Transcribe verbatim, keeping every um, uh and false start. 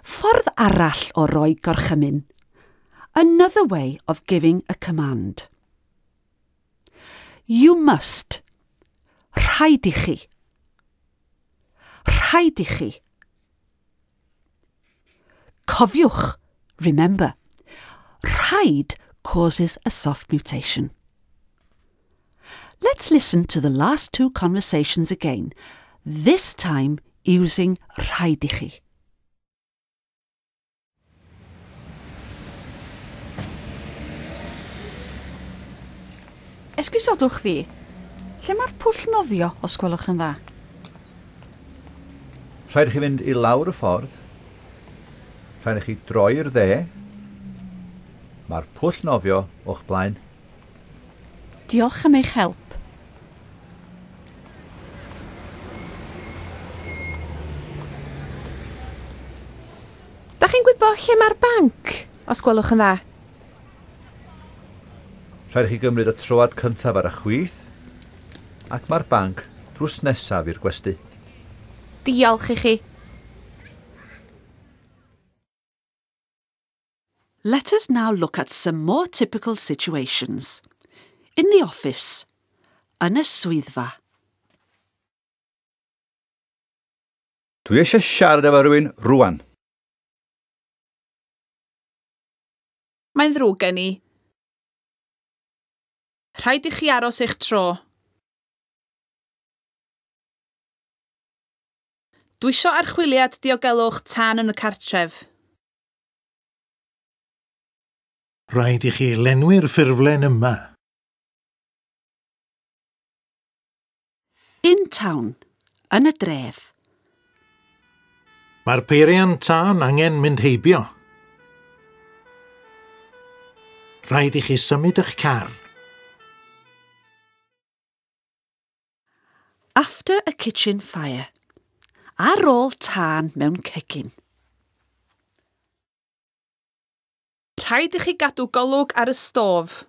Ffordd arall o roi gorchymyn. Another way of giving a command. You must. Rhaid i chi. Rhaid i chi. Cofiwch, remember, rhaid causes a soft mutation. Let's listen to the last two conversations again, this time using rhaid i chi. Esgusodwch fi, lle mae'r pwll nofio, os gwelwch yn dda? Rhaid i chi fynd i lawr y ffordd. Rhaid i chi droi i'r dde. Mae'r pwll nofio o'ch blaen. Diolch am eich help. Da chi'n gwybod lle mae'r banc, os gwelwch yn dda? Rhaid i chi gymryd y troad cyntaf ar y chwith, ac mae'r banc drws nesaf i'r gwesty. Diolch i chi. Let us now look at some more typical situations. In the office, yn y swyddfa. Dwi eisiau siarad efo rhywun rwan. Mae'n ddrwg gen i. Rhaid i chi aros eich tro. Dwi isio archwiliad diogelwch tân yn y cartref. Rhaid i chi lenwi'r ffurflen yma. In town, yn y dref. Mae'r peiriant tân angen mynd heibio. Rhaid i chi symud eich car. After a kitchen fire. Ar ôl tân mewn cegin. Rhaid i chi gadw golwg ar y stof.